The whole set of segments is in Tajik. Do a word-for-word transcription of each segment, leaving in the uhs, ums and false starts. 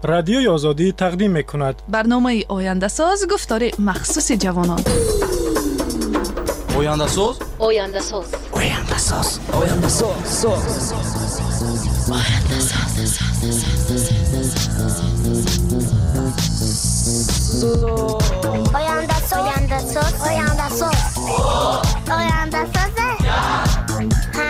Радиои Озодӣ тақдим мекунад. Барномаи Ояндасоз, гуфтори махсуси ҷавонон. Ояндасоз, Ояндасоз, Ояндасоз, Ояндасоз, Ояндасоз. Ояндасоз, Ояндасоз, Ояндасоз, Ояндасоз. Ҳа?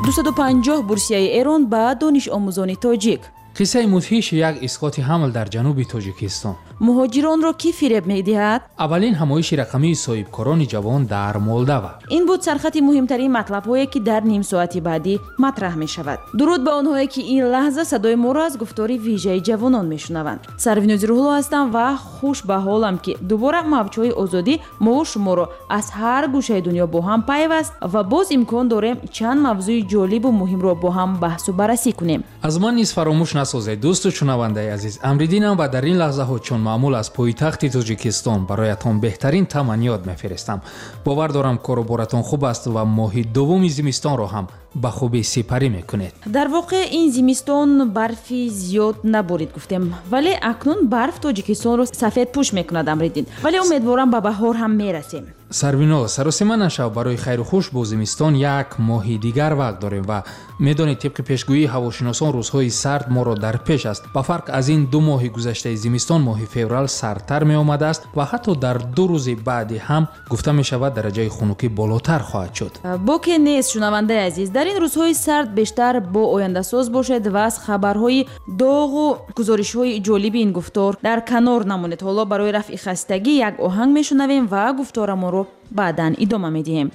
Дусаду панҷоҳ бурсияи Эрон ба донишомӯзони тоҷик. Қиссаи мудҳиши як исқоти ҳамл дар ҷануби Тоҷикистон. Муҳоҷиронро кӣ фиреб медиҳад? Аввалин ҳамоиши рақамии соҳибкорони ҷавон дар Молдава. Ин буд сархати муҳимтарин матлабҳое, ки дар ним соати баъдӣ матраҳ мешавад. Дуруд ба онҳое, ки ин лаҳза садои моро аз гуфтори вижаи ҷавонон мешунаванд. Сарвинози Рӯҳулло ҳастам ва хуш ба ҳолам, ки дубора мавҷҳои озодӣ мову шуморо аз ҳар гӯшаи дунё бо ҳам пайваст ва боз имкон дорем чанд мавзӯи ҷолибу муҳимро бо ҳам баҳсу баррасӣ кунем. Аз ман низ фаромӯш насозед, дӯсту шунавандаи азиз. Амриддинам ва дар ин лаҳзаҳо чун маъмул аз пойтахти Тоҷикистон бароятон беҳтарин таманниёт мефиристам. Бовар дорам, коруборатон хуб аст ва моҳи дуввуми зимистонро ҳам ба хубӣ сипарӣ мекунед. Дар воқеъ ин зимистон барфи зиёд наборид гуфтем, вале акнун барф Тоҷикистонро сафедпӯш мекунад, Амриддин. Вале умедворам, ба баҳор ҳам мерасем. Сарвино, саросима нашав, барои хайру хуш бо зимистон як моҳи дигар вақт дорем ва медонед, тибқи пешгӯии ҳавошиносон рӯзҳои сард моро дар пеш аст. Ба фарқ аз ин ду моҳи гузаштаи зимистон, моҳи феврал сардтар меомадааст ва ҳатто дар ду рӯзи баъди ҳам гуфта мешавад, дараҷаи хунукӣ болотар хоҳад шуд. Боке нест, шунавандаи азиз, дар ин рӯзҳои сард бештар бо Ояндасоз бошед ва аз хабарҳои доғу гузоришҳои ҷолиби ин гуфтор дар канор намонед. Ҳоло барои рафъи хастагӣ як оҳанг мешунавем ва гуфторамонро баъдан идома медиҳем.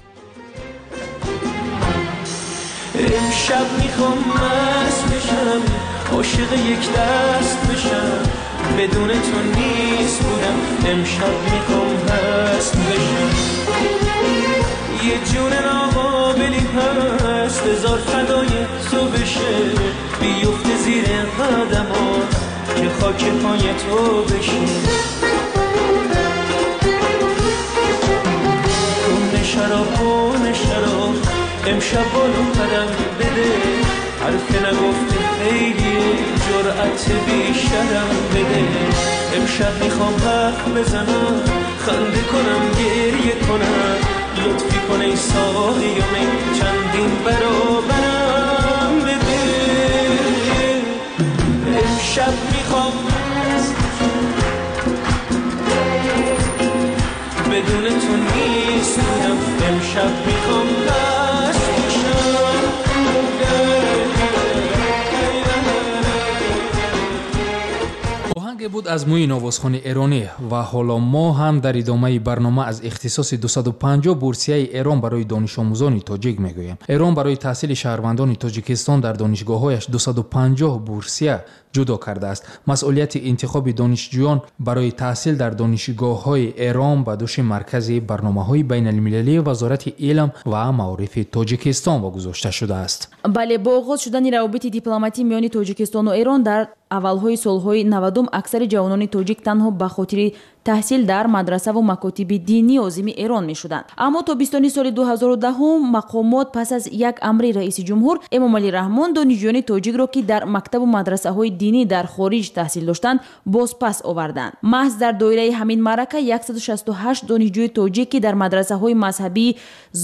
امشب میخوام مست بشم، عاشق یک دست بشم، بدون تو نیست بودم، امشب میخوام هست بشم. یه جون ناقابلی هست، هزار فدای تو بشه، بیفته زیر قدمات که خاک پای تو بشه. شراب کن شراب، امشب بالو قدم بده، حرف نگفته خیلیه، جرأت بیشترم بده. امشب میخوام حرف بزنم، خنده کنم، گریه کنم، لطفی کنه ای ساقی و می چندین برابرم بده. امشب میخوام بدون تو نیست بودم، امشب میخوام هست بشم. Оҳанге буд аз мӯи новозхони эронӣ ва ҳоло мо ҳам дар идомаи барнома аз ихтисоси дусаду панҷоҳ бурсияи Эрон барои донишомӯзони тоҷик мегӯем. Эрон барои таҳсили шаҳрвандони Тоҷикистон дар донишгоҳҳояш дусаду панҷоҳ бурсия ҷудо кардааст. Масъулияти интихоби донишҷӯён барои таҳсил дар донишгоҳҳои Эрон ба дӯши маркази барномаҳои байналмилалии Вазорати илм ва маорифи Тоҷикистон вогузошта шудааст. Бале, бо оғоз шудани равобити дипломатӣ миёни Тоҷикистону Эрон дар аввалҳои солҳои навадум, аксари ҷавонони тоҷик танҳо ба хотири таҳсил дар мадрасаву макотиби динӣ озими Эрон мешуданд. Аммо тобистони соли дуҳазору даҳум мақомот пас аз як амри раиси ҷумҳур Эмомалӣ Раҳмон донишҷӯёни тоҷикро, ки дар мактабу мадрасаҳои динӣ дар хориҷ таҳсил доштанд, бозпас оварданд. Маҳз дар доираи ҳамин маърака яксаду шасту ҳашт донишҷӯи тоҷик, ки дар мадрасаҳои мазҳабии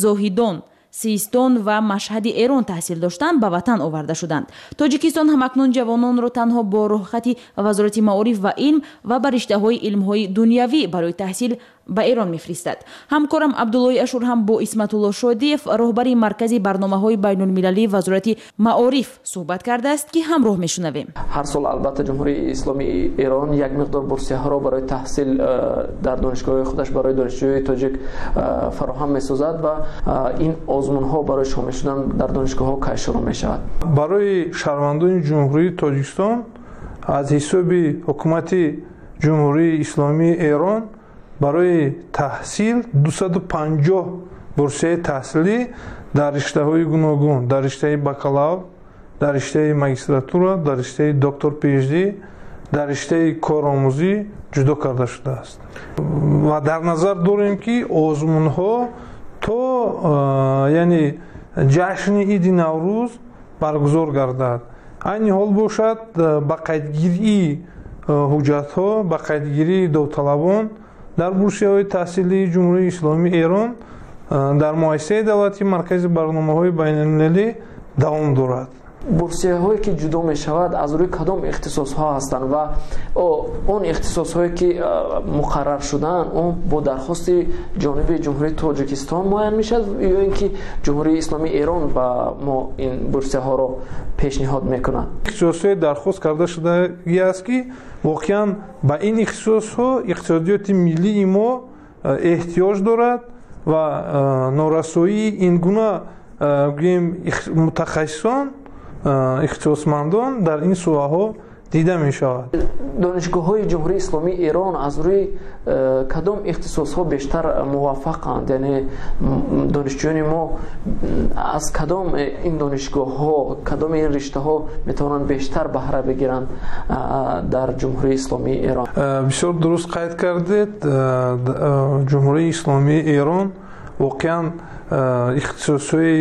Зоҳидон, Систон ва Машҳади Эрон таҳсил доштанд, ба ватан оварда шуданд. Тоҷикистон ҳамакнун ҷавононро танҳо бо роҳхати Вазорати маориф ва илм ва ба риштаҳои илмҳои дунявӣ барои таҳсил ба Эрон мефиристад. Ҳамкорам Абдуллои Ашур ҳам бо Исматулло Шодиев, роҳбари маркази барномаҳои байнулмилалии Вазорати маориф, суҳбат кардааст, ки ҳамроҳ мешунавем. Ҳар сол албатта Ҷумҳурии Исломии Эрон як миқдор бурсияҳоро барои таҳсил дар донишгоҳҳои худаш барои донишҷӯёни тоҷик фароҳам месозад ва ин озмунҳо барои шомил шудан дар донишгоҳҳо кай шурӯъ мешавад? Барои шаҳрвандони Ҷумҳурии Тоҷикистон аз ҳисоби ҳукумати Ҷумҳурии Исломии Эрон барои таҳсил дусаду панҷоҳ бурсияи таҳсилӣ дар риштаҳои гуногун, дар риштаи бакалавр, дар риштаи магистратура, дар риштаи доктор P H D, дар риштаи коромӯзӣ ҷудо карда шудааст. Ва дар назар дорем, ки озмунҳо то, яъне, ҷашни иди Наврӯз баргузор гардад. Айни ҳол бошад, ба қайдгирии ҳуҷҷатҳо, ба қайдгирии довталабон дар бурсияҳои таҳсилии Ҷумҳурии Исломии Эрон дар муассисаи давлатии Маркази барномаҳои байналмилалӣ давом дорад. Бурсияҳое ки ҷудо мешавад, аз рӯи кадом ихтисосҳо ҳастанд ва он ихтисосҳое ки муқаррар шудаанд, он бо дархости ҷониби Ҷумҳурии Тоҷикистон муайян мешавад ё ин ки Ҷумҳурии Исломии Эрон ба мо ин бурсияҳоро пешниҳод мекунад? Ихтисосҳои дархост карда шудагӣ аст, ки воқеан ба ин ихтисосҳо иқтисодиёти миллии мо эҳтиёҷ дорад ва норасоии ин гуна, гӯем, мутахассисон, ихтисосмандон дар ин соҳаҳо дида мешавад. Донишгоҳҳои Ҷумҳурии Исломии Эрон аз рӯи э, кадом ихтисосҳо бештар муваффақанд, яъне донишҷӯёни мо аз кадом ин донишгоҳҳо, кадоми ин риштаҳо метавонанд бештар баҳра бигиранд дар Ҷумҳурии Исломии Эрон? Бисёр дуруст қайд кардед. Ҷумҳурии Исломии Эрон воқеан ихтисосҳои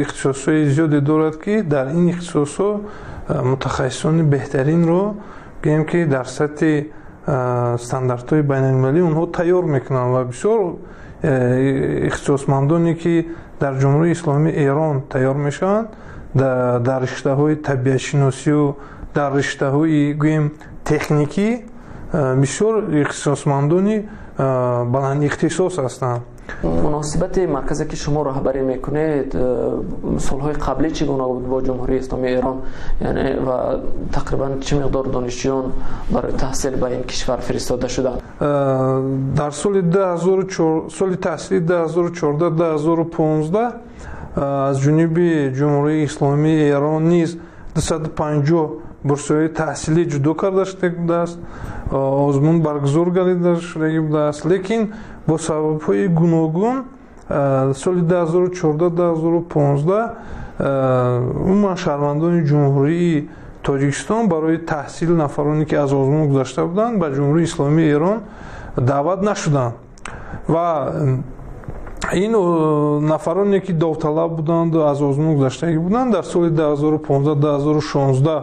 ихтисосҳои зиёде дорад, ки дар ин ихтисосҳо мутахассисони беҳтаринро, гӯем, ки дар сатҳи стандартҳои байналмилалӣ онҳо тайёр мекунанд. Ва бисёр ихтисосмандоне, ки дар Ҷумҳурии Исломии Эрон тайёр мешаванд, дар риштаҳои табиатшиносию дар риштаҳои, гӯем, техникӣ бисёр ихтисосмандони баландихтисос ҳастанд. Муносибати марказе ки шумо роҳбарӣ мекунед, солҳои қаблӣ чӣ гуна буд бо Ҷумҳурии Исломии Эрон, яъне ва тақрибан чӣ миқдор донишҷӯён барои таҳсил ба ин кишвар фиристода шуданд? Дар соли соли таҳсили ду ҳазору чордаҳ-ду ҳазору понздаҳ аз ҷониби Ҷумҳурии Исломии Эрон низ дусаду панҷоҳ бурсияҳои таҳсилӣ ҷудо карда шуда будааст, озмун баргузор гардида шудагӣ будааст. Лекин бо сабабҳои гуногун соли ду ҳазору чордаҳ-ду ҳазору понздаҳ умуман шаҳрвандони Ҷумҳурии Тоҷикистон барои таҳсил, нафароне ки аз озмун гузашта буданд, ба Ҷумҳурии Исломии Эрон даъват нашуданд. Ва ин нафароне ки довталаб буданду аз озмун гузаштагӣ буданд, дар соли ду ҳазору понздаҳ-ду ҳазору шонздаҳ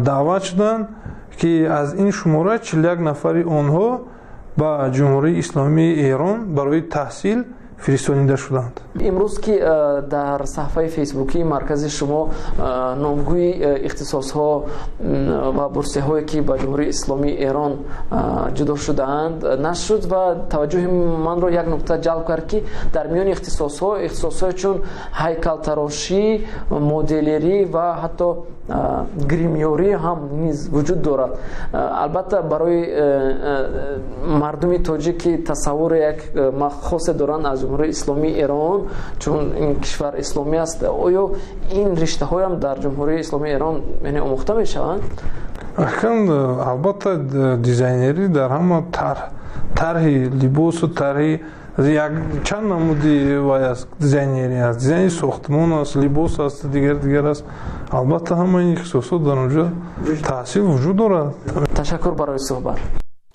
даъват шуданд, ки аз ин шумора чилу як нафари онҳо ба Ҷумҳурии Исломии Эрон барои таҳсил фиристонида шуданд. Имрӯз ки э, дар саҳфаи фейсбукии маркази шумо э, номгӯи э, ихтисосҳо ва бурсияҳое ки ба Ҷумҳурии Исломии Эрон ҷудо шудаанд, нашр шуд ва таваҷҷӯҳи манро як нукта ҷалб кард, ки дар миёни ихтисосҳо ихтисосҳое чун ҳайкалтарошӣ, моделерӣ ва ҳатто гримёрӣ ҳам низ вуҷуд дорад. Албатта, барои мардуми тоҷик, ки тасаввури як хосе доранд аз Ҷумҳурии Исломии Эрон, чун ин кишвар исломӣ аст, оё ин риштаҳоям дар Ҷумҳурии Исломии Эрон, яъне, омӯхта мешаванд? Акн, албатта, дизайнерӣ дар ҳама тарҳи либосу тарҳи як чанд намуди вай аст, дизайнерӣ аст, дизайни сохтмон аст, либос аст, дигар дигар аст. Албатта, ҳамаи ин ихтисосот дар онҷо таҳсил вуҷуд дорад. Ташаккур барои суҳбат.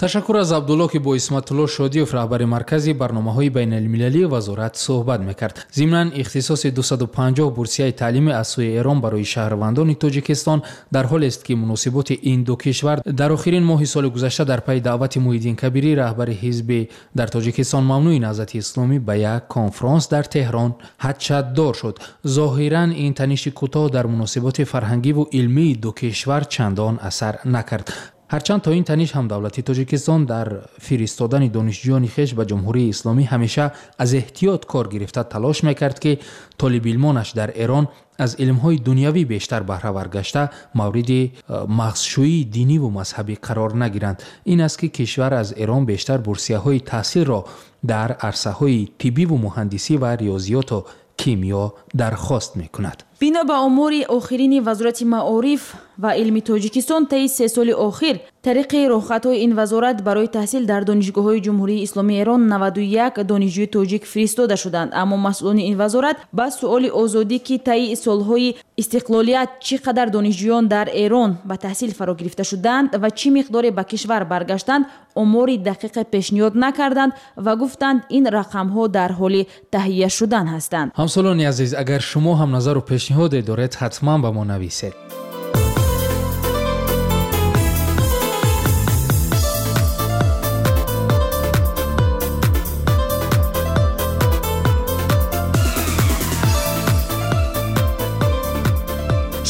Ташаккур аз Абдулло, ки бо Исматулло Шодиев, раҳбари Маркази барномаҳои байналмилалии вазорат, суҳбат мекард. Зимнан, ихтисоси дусаду панҷоҳ бурсияи таълимӣ аз сӯи Эрон барои шаҳрвандони Тоҷикистон дар ҳолест, ки муносиботи ин ду кишвар дар охирин моҳи соли гузашта дар пайи даъвати Муҳиддин Кабирӣ, раҳбари ҳизби дар Тоҷикистон мамнӯи Наҳзати Исломӣ, ба як конфронс дар Теҳрон ҳадшаддор шуд. Зоҳиран, ин таниши кӯтоҳ дар муносиботи фарҳангиву илмии ду кишвар чандон асар накард. Ҳарчанд то ин таниш ҳам давлати Тоҷикистон дар фиристодани донишҷӯёни хеш ба Ҷумҳурии Исломӣ ҳамеша аз эҳтиёт кор гирифта, талош мекард, ки толибилмонаш дар Эрон аз илмҳои дунявӣ бештар баҳравар гашта, мавриди э, мағзшӯии диниву мазҳабӣ қарор нагиранд. Ин аст, ки кишвар аз Эрон бештар бурсияҳои таҳсилро дар арсаҳои тиббиву муҳандисӣ ва риёзиёту кимиё дархост мекунад. Бино ба омори охирини Вазорати маориф ва илми Тоҷикистон, таи се соли охир Тариқи роҳхатҳои ин вазорат барои таҳсил дар донишгоҳҳои Ҷумҳурии Исломии Эрон наваду як донишҷӯи тоҷик фиристода шуданд. Аммо масъулони ин вазорат ба суоли Озодӣ, ки таи солҳои истиқлолият чӣ қадар донишҷӯён дар Эрон ба таҳсил фаро гирифта шуданд ва чӣ миқдоре ба кишвар баргаштанд, омори дақиқе пешниҳод накарданд ва гуфтанд ин рақамҳо дар ҳоли таҳия шудан ҳастанд. Ҳамсолони азиз, агар шумо ҳам назару пешниҳоде доред, ҳатман ба мо нависед.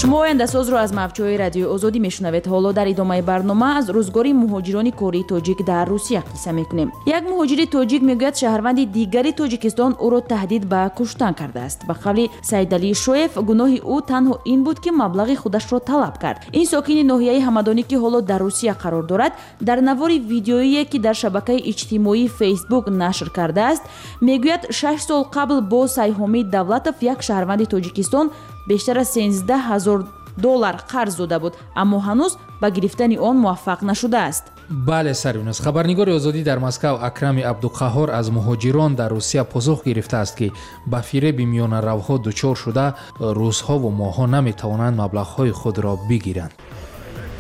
Шумо ояндасозро аз мавҷҳои радиои Озодӣ мешунавед. Ҳоло дар идомаи барнома аз рӯзгори муҳоҷирони кории тоҷик дар Русия қисса мекунем. Як муҳоҷири тоҷик мегӯяд, шаҳрванди дигари Тоҷикистон ӯро таҳдид ба куштан кардааст. Ба қавли Саидалӣ Шоев, гуноҳи ӯ танҳо ин буд, ки маблағи худашро талаб кард. Ин сокини ноҳияи Ҳамадонӣ, ки ҳоло дар Русия қарор дорад, дар навори видеоие, ки дар шабакаи иҷтимоии Фейсбук нашр кардааст, мегӯяд шаш сол қабл бо Сайҳомид Давлатов, як шаҳрванди Тоҷикистон, бештар аз сенздаҳ ҳазор доллар қарз дода буд, аммо ҳанӯз ба гирифтани он муваффақ нашудааст. Бале, Сарвинос, хабарнигори Озодӣ дар Москав Акрами Абдуқаҳор аз муҳоҷирон дар Русия посух гирифтааст, ки ба фиреби миёнаравҳо дучор шуда рӯзҳову моҳҳо наметавонанд маблағҳои худро бигиранд.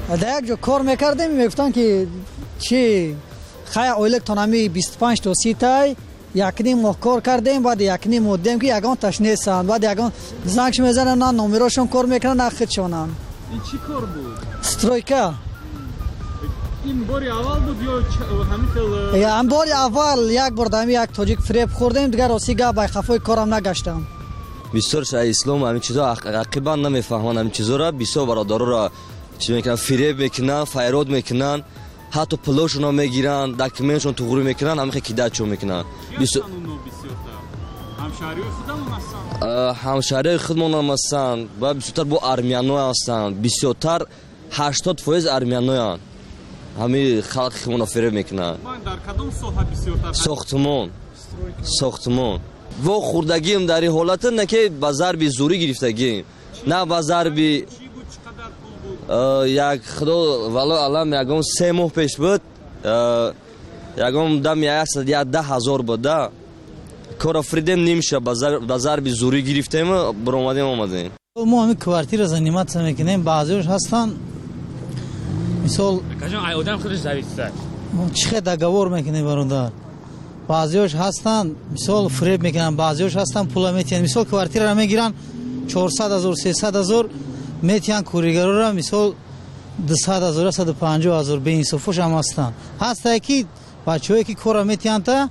Дар як ҷо кор мекардем, мегуфтанд, ки чи хай ойликтон ҳами бисту панҷ то си тай, якним моҳ кор кардем, баъд якним моҳ дидем, ки ягон таш нестанд. Баъд ягон зангш мезананд, на номерошон кор мекунанд, на худшонанд. Ин чӣ кор буд? Стройка. Ин бори аввал буд ё ҳамин хел? Ҳам бори аввал як бор дар як тоҷик фиреб хӯрдем, дигар рости гап бай хафои корам нагаштам. Бисёр ислом ҳамин чизо ақибан намефаҳманд, ҳамин чизоро бисёр бародароро чӣ мекунанд, фиреб мекунанд, файрод мекунанд, ҳатто пулошонро мегиранд, документшон туғрӣ мекунанд, ҳамин хел кидачо мекунанд. Ҳамшаҳриҳои худмонам ҳастанд ва бисёртар бо армяно ҳастанд, бисёртар ҳаштод фоиз армяноянд. Ҳамин халқи худмонро фиреб мекунанд. Сохтмон, сохтмон. Во хӯрдагием дар ин ҳолата, на ки ба зарби зӯрӣ гирифтагием, на ба зарби як худо вало алам ягон се моҳ пеш буд, ягон дам як даҳ ҳазор буд, да кора фридем нимша ба зарби зӯрӣ гирифтем, баромадем омадем. Мо ҳамин квартира заниматься мекунем, баъзеош ҳастанд, мисол одам худаш зависит чӣ хел договор мекунем бародар. Баъзеош ҳастанд, мисол фиреб мекунанд, баъзеош ҳастанд пула метиҳанд. Мисол квартираро мегиранд чорсад ҳазор, сесад ҳазор метиҳанд, кӯригарора мисол дусад ҳазор, саду панҷоҳ ҳазор. Беинсофош ҳам ҳастанд. Ҳастае ки бачаҳое ки корро метиҳанд, та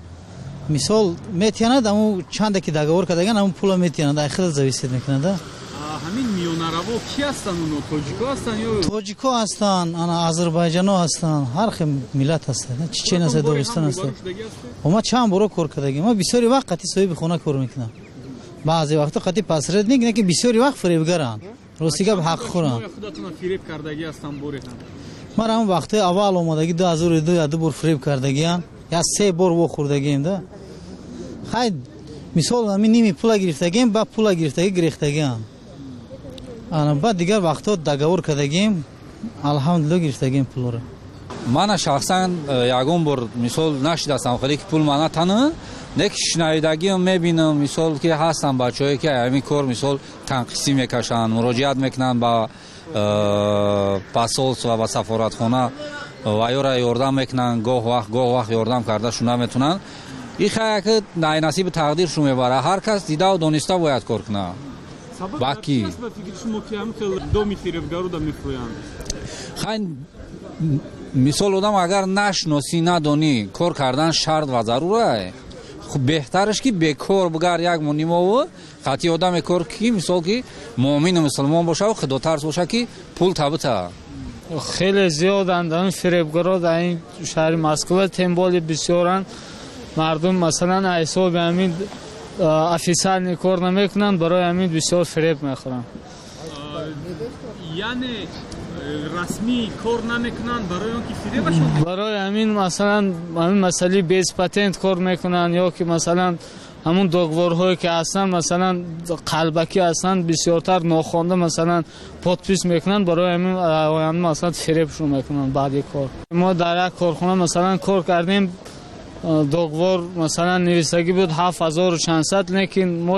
мисол метиҳанад, аму чанде ки договор кардаган, аму пула метиҳанад, ай хеле зависит мекунад. Ҳамин миёнараво ки ҳастанд оно? Тоҷико ҳастанд ё тоҷико ҳастанд, ана озарбойҷано ҳастанд, ҳар хел миллат ҳастанд, чечен ҳастанд, догистон ҳастанд. Ма чанд боро кор кардагим, ма бисёри вақт қати соҳиби хона кор мекунам, баъзе вақто қати посредник, не ки бисёри вақт фиребгаранд, рости гап ҳақ хӯранд. Фиреб кардагӣ ҳастанд боре ҳам? Ман ҳамон вақтҳои аввал омадагӣ ду ҳазору ду я ду бор фиреб кардагиам, я се бор вохӯрдагием да. Хай мисол ҳамин ними пула гирифтагием, ба пула гирифтагӣ гирехтагиам. Ана баъд дигар вақтҳо договор кардагием, алҳамдулилло гирифтагием пулоро. Мана шахсан ягон бор мисол нашидастам хеле ки пул мана тана, не ки шунавидагиам мебинам, мисол ки ҳастанд бачаҳое ки ҳамин кор мисол танқисӣ мекашанд, муроҷиат мекунанд ба посольство ва сафоратхона ва ёра ёрдам мекунанд, гоҳ вақт гоҳ вақт ёрдам карда шуна метунанд. Ин хая ки насиби тақдир шу мебарад, ҳар кас дидаву дониста бояд кор кунад. Баки хай мисол одам агар нашносӣ надонӣ, кор кардан шарт ва зарур. Беҳтараш ки бекор бугар як мунимову хати одаме кор ки мисол ки муъмину мусулмон бошаву худотарс боша ки пул табита. Хеле зиёданд ин фиребгаро дар ин шаҳри Москва, темболи бисёранд. Мардум масалан ҳисоби ҳамин официални кор намекунанд, барои ҳамин бисёр фиреб мехӯранд. Яъне расмӣ кор намекунанд барои он ки фиребашон? Барои ҳамин масалан ҳамин масъалаи без патент кор мекунанд ё ки масалан Ҳамун договорҳое ки ҳастанд, масалан, қалбакӣ ҳастанд, бисёртар нохонда, масалан, подпись мекунанд. Барои ҳамин оянда, масалан, фиребшон мекунанд. Баъди кор мо дар як корхона, масалан, кор кардем, договор, масалан, нависагӣ буд ҳафт ҳазору чандсад, лекин мо